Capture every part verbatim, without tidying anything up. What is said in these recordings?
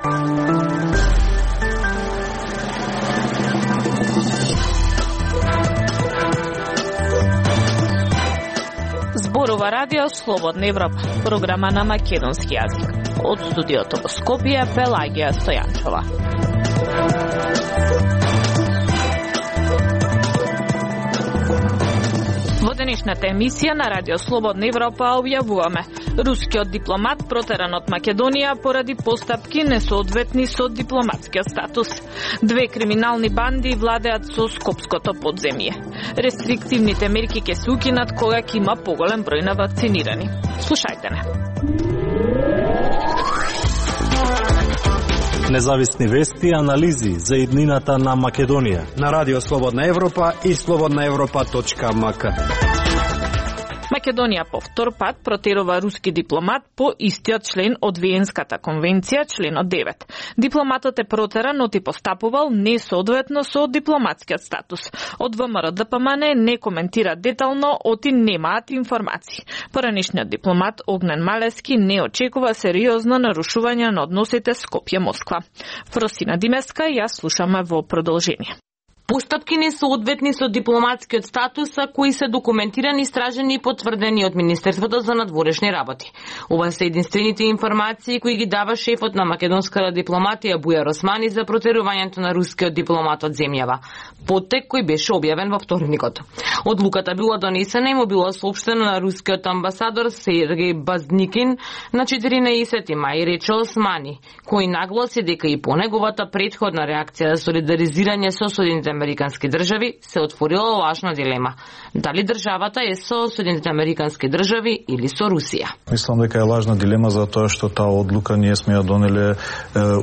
Зборува Радио Слободна Европа, програма на македонски јазик. Од студиото во Скопје, Пелагија Стојанчова. Во денешната емисија на Радио Слободна Европа објавуваме: рускиот дипломат протеран од Македонија поради постапки несоодветни со дипломатскиот статус. Две криминални банди владеат со скопското подземје. Рестриктивните мерки ќе се укинат кога ќе има поголем број на вакцинирани. Слушајте не. Независни вести и анализи за иднината на Македонија на Радио Слободна Европа и слободна европа точка ем ка. Македонија по втор пат протерува руски дипломат по истиот член од Виенската конвенција, членот девет. Дипломатот е протеран, но ти постапувал несоодветно со дипломатскиот статус. Од Вэ Ем Р Д П М Н не коментира детално, оти немаат информации. Поранешниот дипломат Огнен Малески не очекува сериозно нарушување на односите Скопје-Москва. Просина Димеска, јас слушаме во продолжение. Постапки несоодветни со дипломатскиот статус, кои се документирани, истражени и потврдени од Министерството за надворешни работи. Ова се единствените информации кои ги дава шефот на македонската дипломатија Бујар Османи за протерувањето на рускиот дипломат од земјава. Поттек кој беше објавен во вторникот. Одлуката била донесена и му било соопштено на рускиот амбасадор Сергеј Базникин на четиринаесети мај, рече Османи, кој нагласи дека и по неговата претходна реакција за солидаризирање со Соединетите Американски држави се отворила лажна дилема. Дали државата е со Соединетите Американски држави или со Русија? Мислам дека е лажна дилема за тоа што таа одлука ние сме ја донеле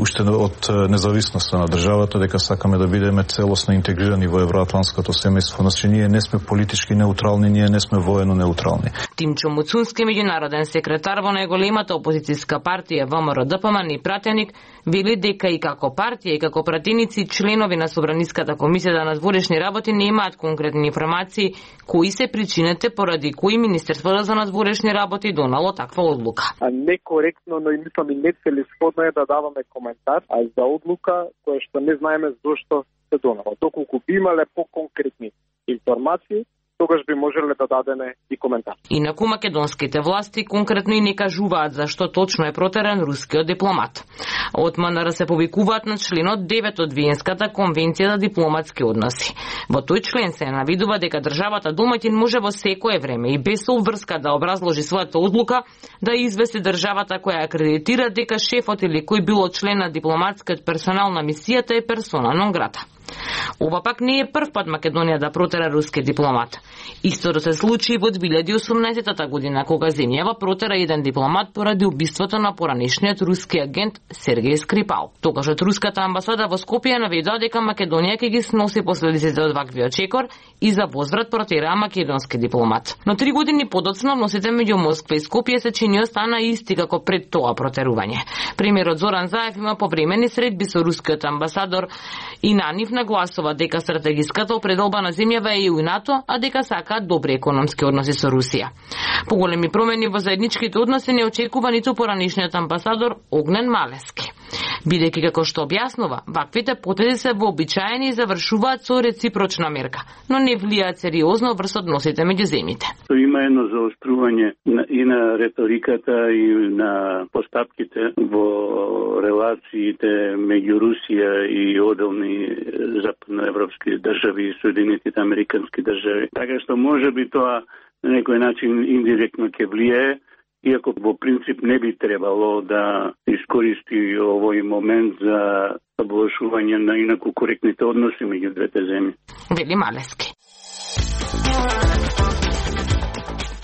уште од независноста на државата, дека сакаме да бидеме целосно интегрирани во евроатлантското семејство. Значи ние не сме политички неутрални, ние не сме воено неутрални. Тимчо Муцунски, меѓународен секретар во најголемата опозицијска партија Вэ Ем Р Д П М Н и пратеник, вели дека и како партија и како пратеници членови на Собраниската комисија за надворешни работи немаат конкретни информации кои се причините поради кои Министерството за надворешни работи донало таква одлука. А некоректно, но и мислам и нецелесходно е да даваме коментар а за одлука која што не знаеме зошто се донало. Доколку би имале по-конкретни информации, тогаш би можеле да дадеме и коментар. Инаку македонските власти конкретно и не кажуваат зашто точно е протеран рускиот дипломат. Од М Н Р се повикуваат на членот девет од Виенската конвенција за дипломатски односи. Во тој член се навидува дека државата домаќин може во секое време и без обврска да образложи својата одлука да извести државата која акредитира дека шефот или кој било член на дипломатскиот персонал на мисијата е персона нон грата. Ова пак не е прв пат Македонија да протера руски дипломат. Истото се случи во две илјади и осумнаесета година, кога земјава протера еден дипломат поради убиството на поранешниот руски агент Сергеј Скрипал. Тогашот руската амбасада во Скопје наведува дека Македонија ќе ги сноси последиците од ваквиот чекор и за возврат протераа македонски дипломат. Но три години подоцна односите меѓу Москва и Скопје се чини остана исти како пред тоа протерување. Премиерот Зоран Заев има повремени средби со рускиот амбасадор и на нив нагласува дека стратегиската определба на земјава е и у НАТО, а дека сакаат добри економски односи со Русија. Поголеми промени во заедничките односи не очекува ниту поранешниот амбасадор Огнен Малески. Бидејќи, како што објаснува, ваквите потези се вообичаени и завршуваат со реципрочна мерка, но не влијаат сериозно врз односите меѓу земјите. Има едно заострување и на реториката и на постапките во релациите меѓу Русија и одделни западноевропски држави и Соединетите Американски држави. Така што може би тоа на некој начин индиректно ќе влијае, иако во принцип не би требало да искористи овој момент за поблажување на инаку коректните односи меѓу двете земји. Вели Малески.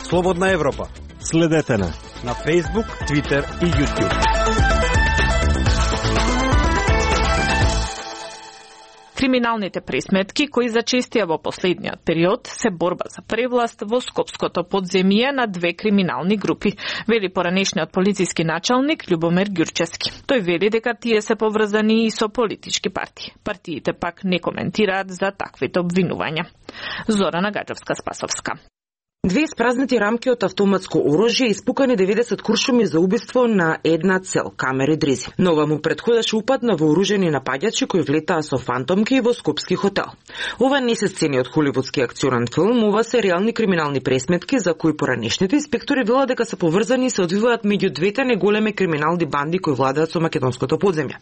Слободна Европа. Следете на на Facebook, Twitter и YouTube. Криминалните пресметки кои зачестија во последниот период се борба за превласт во скопското подземје на две криминални групи, вели поранешниот полициски началник Љубомир Ѓурчевски. Тој вели дека тие се поврзани и со политички партии. Партиите пак не коментираат за таквите обвинувања. Зорана Гаджевска-Спасовска. Две испразнати рамки од автоматско оружје испукани деветдесет куршуми за убиство на една цел, камери дризи. Но ова му претходеше упад на вооружени напаѓачи кои влетаа со фантомки во скопски хотел. Ова не се сцени од холивудски акционен филм, ова се реални криминални пресметки за кои поранешните инспектори велат дека се поврзани и се одвиваат меѓу двете неголеми криминални банди кои владеат со македонското подземје.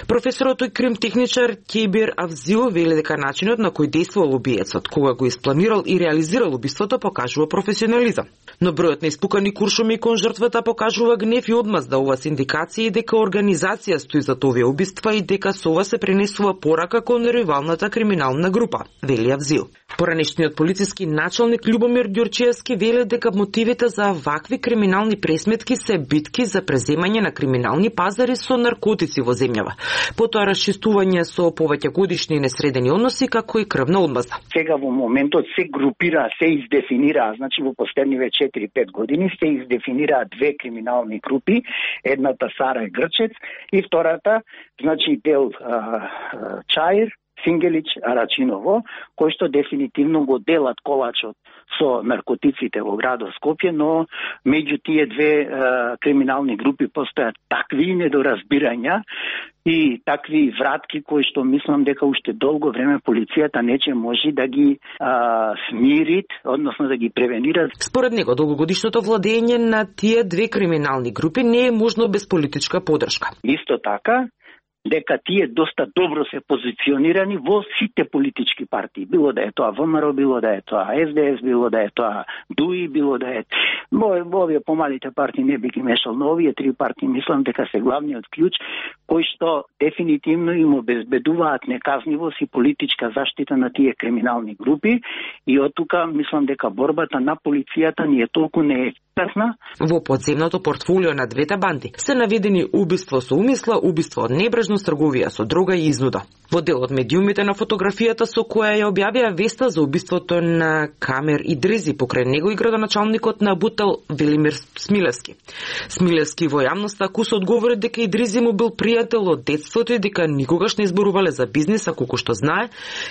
Професорот и кримтехничар Кебир Авзио вели дека начинот на кој действувал убиецот, кога го испланирал и реализирал убиството, покажува професионализам. Но бројот на испукани куршуми кон жртвата покажува гнев и одмаз да ова се индикации дека организација стои за овие убиства и дека со ова се пренесува порака кон ривалната криминална група, вели Авзио. Поранешниот полициски началник Љубомир Ѓурчиевски вели дека мотивите за вакви криминални пресметки се битки за преземање на криминални пазари со наркотици во земјава. Потоа расчистување со повеќе годишни несредени односи како и крвна одмазда. Сега во моментот се групира, се издефинира, значи во последниве четири-пет години се издефинираа две криминални групи, едната Сара Грчец и втората, значи дел а, а, Чаир, Сингелич, Арачиново, кои што дефинитивно го делат колачот со наркотиците во градот Скопје, но меѓу тие две е, криминални групи постојат такви недоразбирања и такви вратки кои што мислам дека уште долго време полицијата нече може да ги а, смирит, односно да ги превенира. Според него, долгогодишното владење на тие две криминални групи не е можно без политичка подршка. Исто така, дека тие доста добро се позиционирани во сите политички партии. Било да е тоа ВМРО, било да е тоа Ес Де Ес, било да е тоа Дуи, било да е... Во овие помалите партии не би ги мешал, но овие три партии мислам дека се главниот клjuč кои што дефинитивно им обезбедуваат неказнивост и политичка заштита на тие криминални групи и од тука мислам дека борбата на полицијата ни е толку неефикасна. Во подземното портфолио на двете банди се наведени убиство со умисла, убиство од небрежност, трговија со дрога и изнуда. Во дел од медиумите на фотографијата со која ја објавија веста за убиството на Камер и Дрези, покрај него и градоначалникот на Бутел Велимир Смилевски. Смилевски во јавноста акуса одговори дека и Дрези му бил пријател од детството и дека никогаш не изборувале за бизнис, а колку што знае,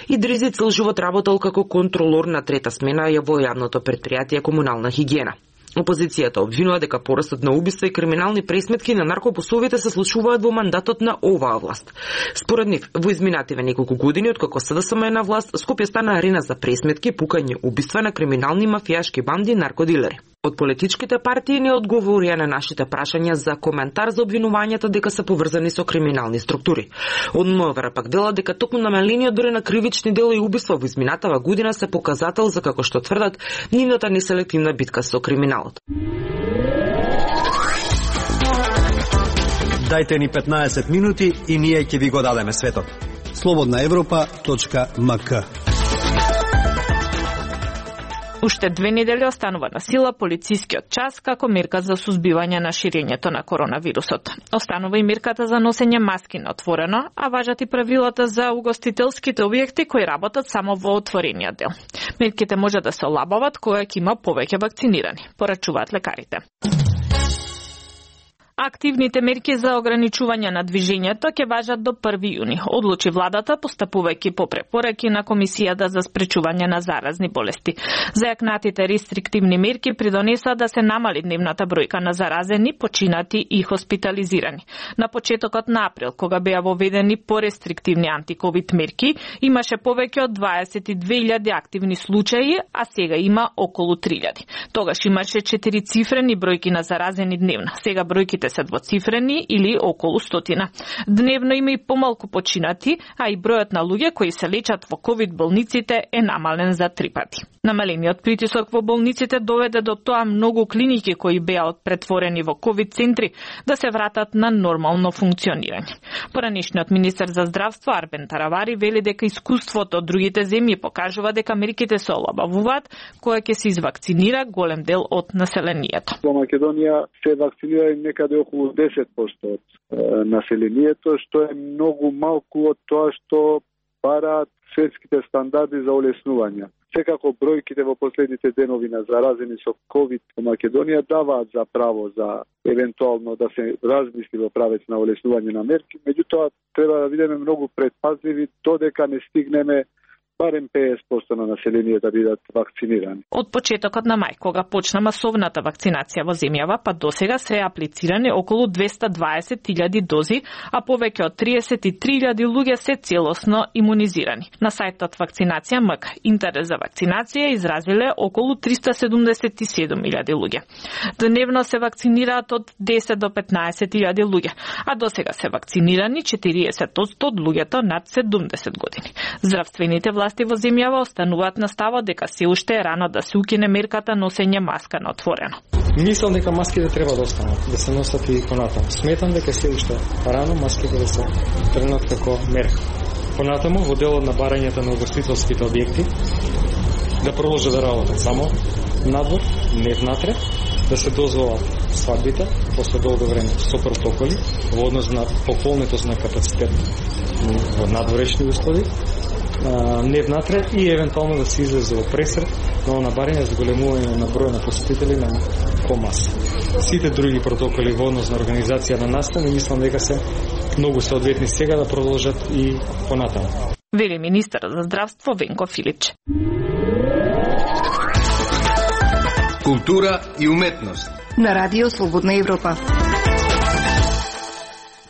и Дрези цел живот работел како контролор на трета смена во јавното предпријатие Комунална хигиена. Опозицијата обвинува дека порастот на убиства и криминални пресметки на наркопосовите се случуваат во мандатот на оваа власт. Според нив, во изминативе неколку години откако СДСМ е на власт, Скопје стана арена за пресметки, пукање, убиства на криминални мафијашки банди и наркодилери. Од политичките партии не одговорија на нашите прашања за коментар за обвинувањата дека се поврзани со криминални структури. Од МВР пак дела дека токму намалениот број на кривични дела и убиства во изминатава година се показател за, како што тврдат, нивната неселективна битка со криминалот. Дајте ни петнаесет минути и ние ќе ви го дадеме светот. слободна европа точка ем ка. Уште две недели останува на сила полицискиот час како мерка за сузбивање на ширењето на коронавирусот. Останува и мерката за носење маски на отворено, а важат и правилата за угостителските објекти кои работат само во отворениот дел. Мерките може да се олабават кога ќе има повеќе вакцинирани, порачуваат лекарите. Активните мерки за ограничување на движењето ќе важат до први јуни, одлучи владата постапувајќи по препораки на Комисијата за спречување на заразни болести. Зајакнатите рестриктивни мерки придонесоа да се намали дневната бројка на заразени, починати и хоспитализирани. На почетокот на април, кога беа воведени порестриктивни антиковид мерки, имаше повеќе од дваесет и две илјади активни случаи, а сега има околу три илјади. Тогаш имаше четирицифрени бројки на заразени дневно. Сега бројките се двоцифрени или околу стотина. Дневно има и помалку починати, а и бројот на луѓе кои се лечат во ковид болниците е намален за три пати. Намалениот притисок во болниците доведе до тоа многу клиники кои беа претворени во ковид центри да се вратат на нормално функционирање. Поранешниот министер за здравство Арбен Таравари вели дека искуството од другите земји покажува дека мерките се олабавуваат кога ќе се извакцинира голем дел од населението. Во Македонија се вакцинира некаде околу десет проценти од е, населението, што е многу малку од тоа што бараат светските стандарди за олеснување. Секако бројките во последните денови на заразени со ковид во Македонија даваат за право за евентуално да се размисли во правец на олеснување на мерки, меѓутоа треба да бидеме многу предпазливи додека не стигнеме барем педесет проценти на населението да бидат вакцинирани. Од почетокот на мај, кога почна масовната вакцинација во земјава, па досега се аплицирани околу двесте и дваесет илјади дози, а повеќе од триесет и три илјади луѓе се целосно имунизирани. На сајтот Вакцинација МК интерес за вакцинација изразиле околу триста седумдесет и седум илјади луѓе. Дневно се вакцинираат од десет до петнаесет илјади луѓе, а досега се вакцинирани четириесет одсто од луѓето над седумдесет години. Здравствените власти во земјава остануваат на ставот дека се уште е рано да се укине мерката носење маска на отворено. Мислам дека маските треба да останат, да се носат и понатаму. Сметам дека се уште рано маските да се тргнат како мерка. Понатаму, во делот на барањето на угостителските објекти, да продолжат да работат само надвор, не внатре, да се дозволат свадбите после долго време со протоколи во однос на пополнетост на капацитет во надворешни услови, не внатре и евентуално да се излезе во пресрет на набарање за големување на број на посетители на комаса. Сите други протоколи во однос на организација на настани мислам дека се многу соодветни сега да продолжат и понатаму. Вели министерот за здравство Венко Филич. Култура и уметност на Радио Слободна Европа.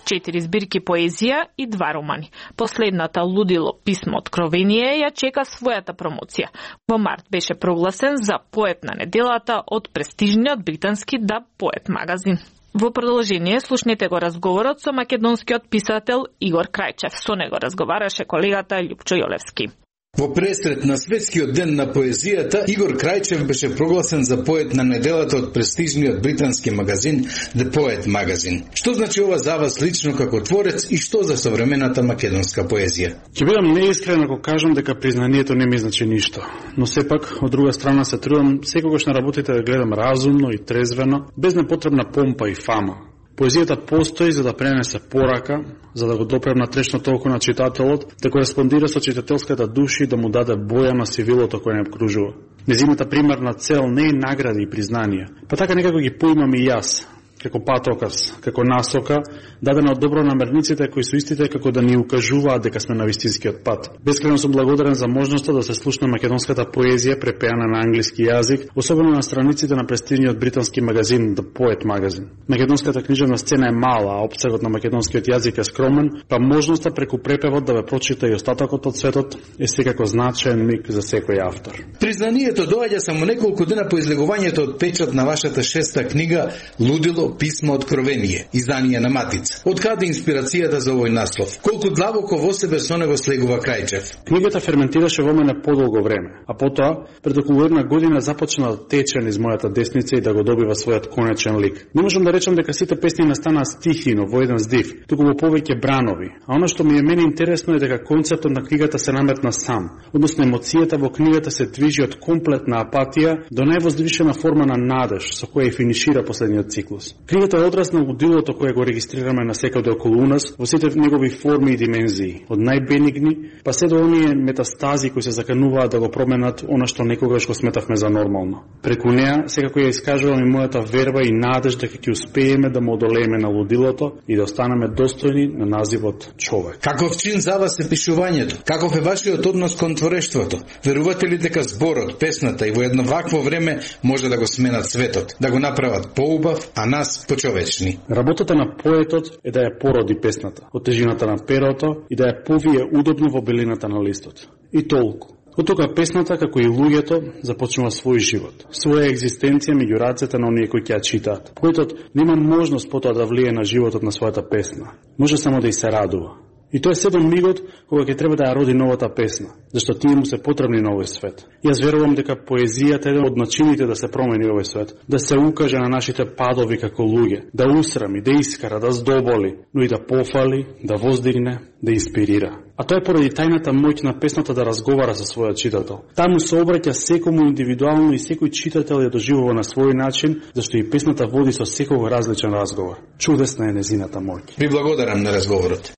Четири збирки поезија и два романи. Последната Лудило писмо откровение ја чека својата промоција. Во март беше прогласен за поет на неделата од престижниот британски Да Поет магазин. Во продолжение слушнете го разговорот со македонскиот писател Игор Крајчев. Со него разговараше колегата Љупчо Јолевски. Во пресрет на Светскиот ден на поезијата, Игор Крајчев беше прогласен за поет на неделата од престижниот британски магазин The Poet Magazine. Што значи ова за вас лично како творец и што за современата македонска поезија? Ќе бидам неискрен ако кажам дека признанието не ми значи ништо, но сепак од друга страна се трудам секогаш на работите да гледам разумно и трезвено, без непотребна помпа и фама. Поезијата постои за да пренесе порака, за да го допрем на трешното око на читателот, да кореспондира со читателската душа и да му даде боја на сивилото кој не обкружува. Незината примарна цел не е награди и признанија, па така некако ги поимам и јас, како патоказ, како насока, дадена од добронамерниците кои со истите како да ни укажуваат дека сме на вистинскиот пат. Бескрено сум благодарен за можноста да се слушна македонската поезија препеана на англиски јазик, особено на страниците на престижниот британски магазин The Poet Magazine. Македонската книжевна сцена е мала, а опсегот на македонскиот јазик е скромен, па можноста преку препевот да ве прочита и остатокот од светот е секако значаен миг за секој автор. Признанието доаѓа само неколку дена по излегувањето од печат на вашата шеста книга Лудило писмо откровение, издание на Матица. Од каде инспирацијата за овој наслов? Колку длабоко во себе со него слегува Крајчев? Книгата ферментираше во мене подолго време, а потоа пред околу една година започна да тече низ мојата десница и да го добива својот конечен лик. Не можам да речам дека сите песни не станаа стихи, но во еден здив, туку во повеќе бранови. А она што ми е мене интересно е дека концептот на книгата се наметна сам, односно емоцијата во книгата се движи од комплетна апатија до највозвишена форма на надеж со која и финишира последниот циклус. Книгата е одраз на лудилото кое го регистрираме на секаде околу нас во сите негови форми и димензии, од најбенигни па се до оние метастази кои се закануваат да го променат она што некогаш го сметавме за нормално. Преку неа секако ја искажувам и мојата верба и надеж дека ќе успееме да му одолееме на лудилото и да останеме достојни на називот човек. Каков чин за вас е пишувањето? Каков е вашиот однос кон творештвото? Верувате ли дека зборот, песната и во едно вакво време може да го сменат светот, да го направат поубав, а нас почовечни? Работата на поетот е да ја породи песната, од тежината на перото и да ја повие удобно во белината на листот. И толку. Од тога песната, како и луѓето, започнува свој живот, своја екзистенција меѓу рацете на оние кои ќе ја читаат. Поетот нема можност потоа да влие на животот на својата песна. Може само да и се радува. И тоа е седом мигот кога ќе треба да ја роди новата песна, зашто тие му се потребни на овој свет. Јас верувам дека поезијата е еден од начините да се промени овој свет, да се укаже на нашите падови како луѓе, да усрами, да искара, да здоболи, но и да пофали, да воздигне, да инспирира. А тоа е поради тајната моќ на песната да разговара со својот читател. Таму се обраќа секому индивидуално и секој читател ја доживува на свој начин, зашто и песната води со секој различен разговор. Чудесна е незината моќ. Ви благодарам на разговорот.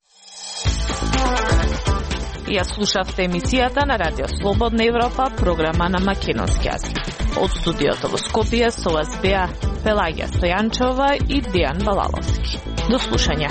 Ја слушавте емисијата на Радио Слободна Европа, програма на македонски јазик. Од студиото во Скопје со вас беа Пелагија Стојанчова и Дејан Балаловски. До слушање.